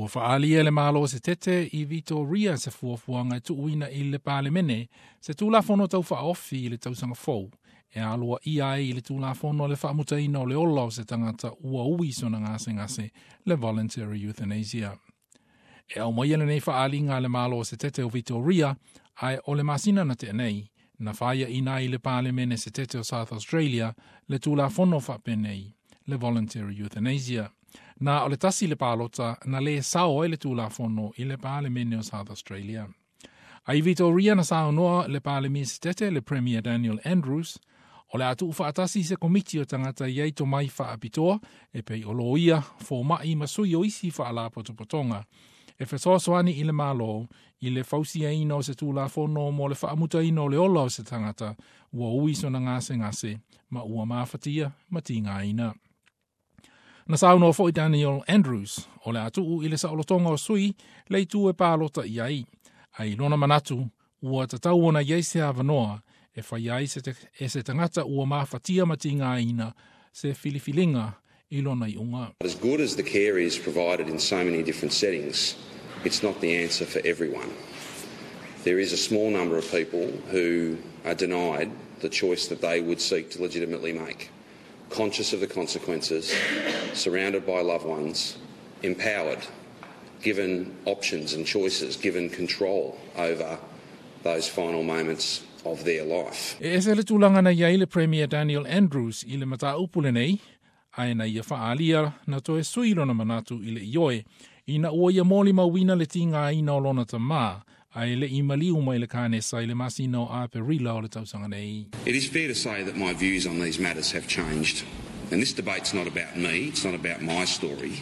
Ua faalia e le Malo Setete i Vitoria se fuafuaga e tuuina i le Palemene se Tulafono Tau Faaofi i le tausaga fou e aloaia ai le Tulafono le faamutaina o le ola o se tagata ua ui sona gasegase, le voluntary euthanasia. E aumaia lenei faaaliga a le Malo Setete o Vitoria, ae o le masina na tea nei, na faiaina ai i le Palemene Setete o South Australia le Tulafono faapenei, le voluntary euthanasia. Na o le tasi le palota na lē sao ai le Tulafono i le Palemene o South Australia. Ai Vitoria na saunoa le Palemia Setete, le Premier Daniel Andrews, o le a tuufaatasi se komiti o tagata e i ai tomai faapitoa e pei o loia, fomaʻi ma sui o isi faalapotopotoga e fesoasoani i le Malo i le fausiaina o se Tulafono mo le faamutaina o le ola o se tagata ua ui sona gasegase ma ua mafatia ma tigaina. Na saunoa foi Daniel Andrews o le a tuu i le saolotoga o sui le itu e palota i ai, ae i lona manatu ua tatau ona i ai se avanoa e fai ai e se tagata ua mafatia ma tigaina se filifiliga i lona iuga. As good as the care is provided in so many different settings, it's not the answer for everyone. There is a small number of people who are denied the choice that they would seek to legitimately make. Conscious of the consequences, surrounded by loved ones, empowered, given options and choices, given control over those final moments of their life. E ese le tulaga na i ai le Premier Daniel Andrews i le mataupu lenei, ae na ia faaalia na toe sui lona manatu i le ioe ina ua ia molimauina le tigaina o lona tamā ae leʻi maliu mai le kanesa i le masina o Aperila o le tausaga nei. It is fair to say that my views on these matters have changed. And this debate's not about me, it's not about my story.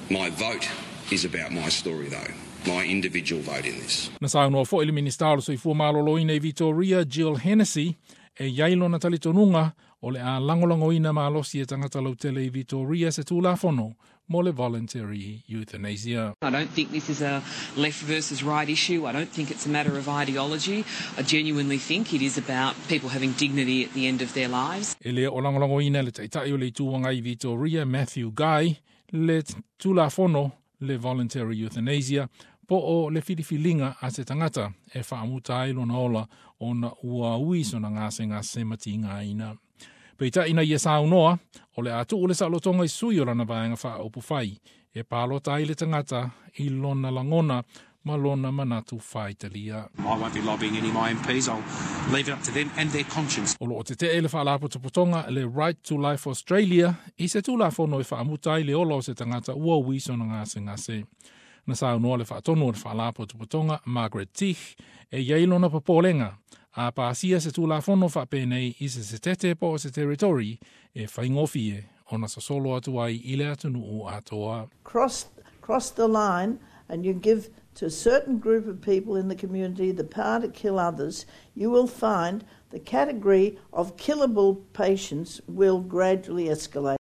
My vote is about my story though, my individual vote in this. Na saunoa foi le Minisita o le Soifua Maloloina i Vitoria, Jill Hennessy, e i ai lona talitonuga o le a lagolagoina malosi e tagata lautele i Vitoria se Tulafono mo le voluntary euthanasia. I don't think this is a left versus right issue. I don't think it's a matter of ideology. I genuinely think it is about people having dignity at the end of their lives. E le o lagolagoina e le Taitai o le Itu Agai i Vitoria, Matthew Guy, le Tulafono le voluntary euthanasia po o le filifiliga a se tagata e faamuta ai lona ola ona ua ui sona gasegase ma tigaina. Peitai na ia saunoa, o le a tuu le saolotoga i sui o lana vaega faaupufai e palota ai le tagata i lona lagona ma lona manatu faitalia. I won't be lobbying any of my MPs, I'll leave it up to them and their conscience. O loo tetee le faalapotopotoga le Right to Life Australia i se Tulafono e faamuta ai le ola o se tagata ua ui sona gasegase. Na saunoa le faatonu o le faalapotopotoga Margaret Teach e i ai lona popolega a pasia se Tulafono faapenei i se setete po o se territory e faigofie ona sosolo atu ai i le atunuu atoa. Cross the line and you give to a certain group of people in the community the power to kill others, you will find the category of killable patients will gradually escalate.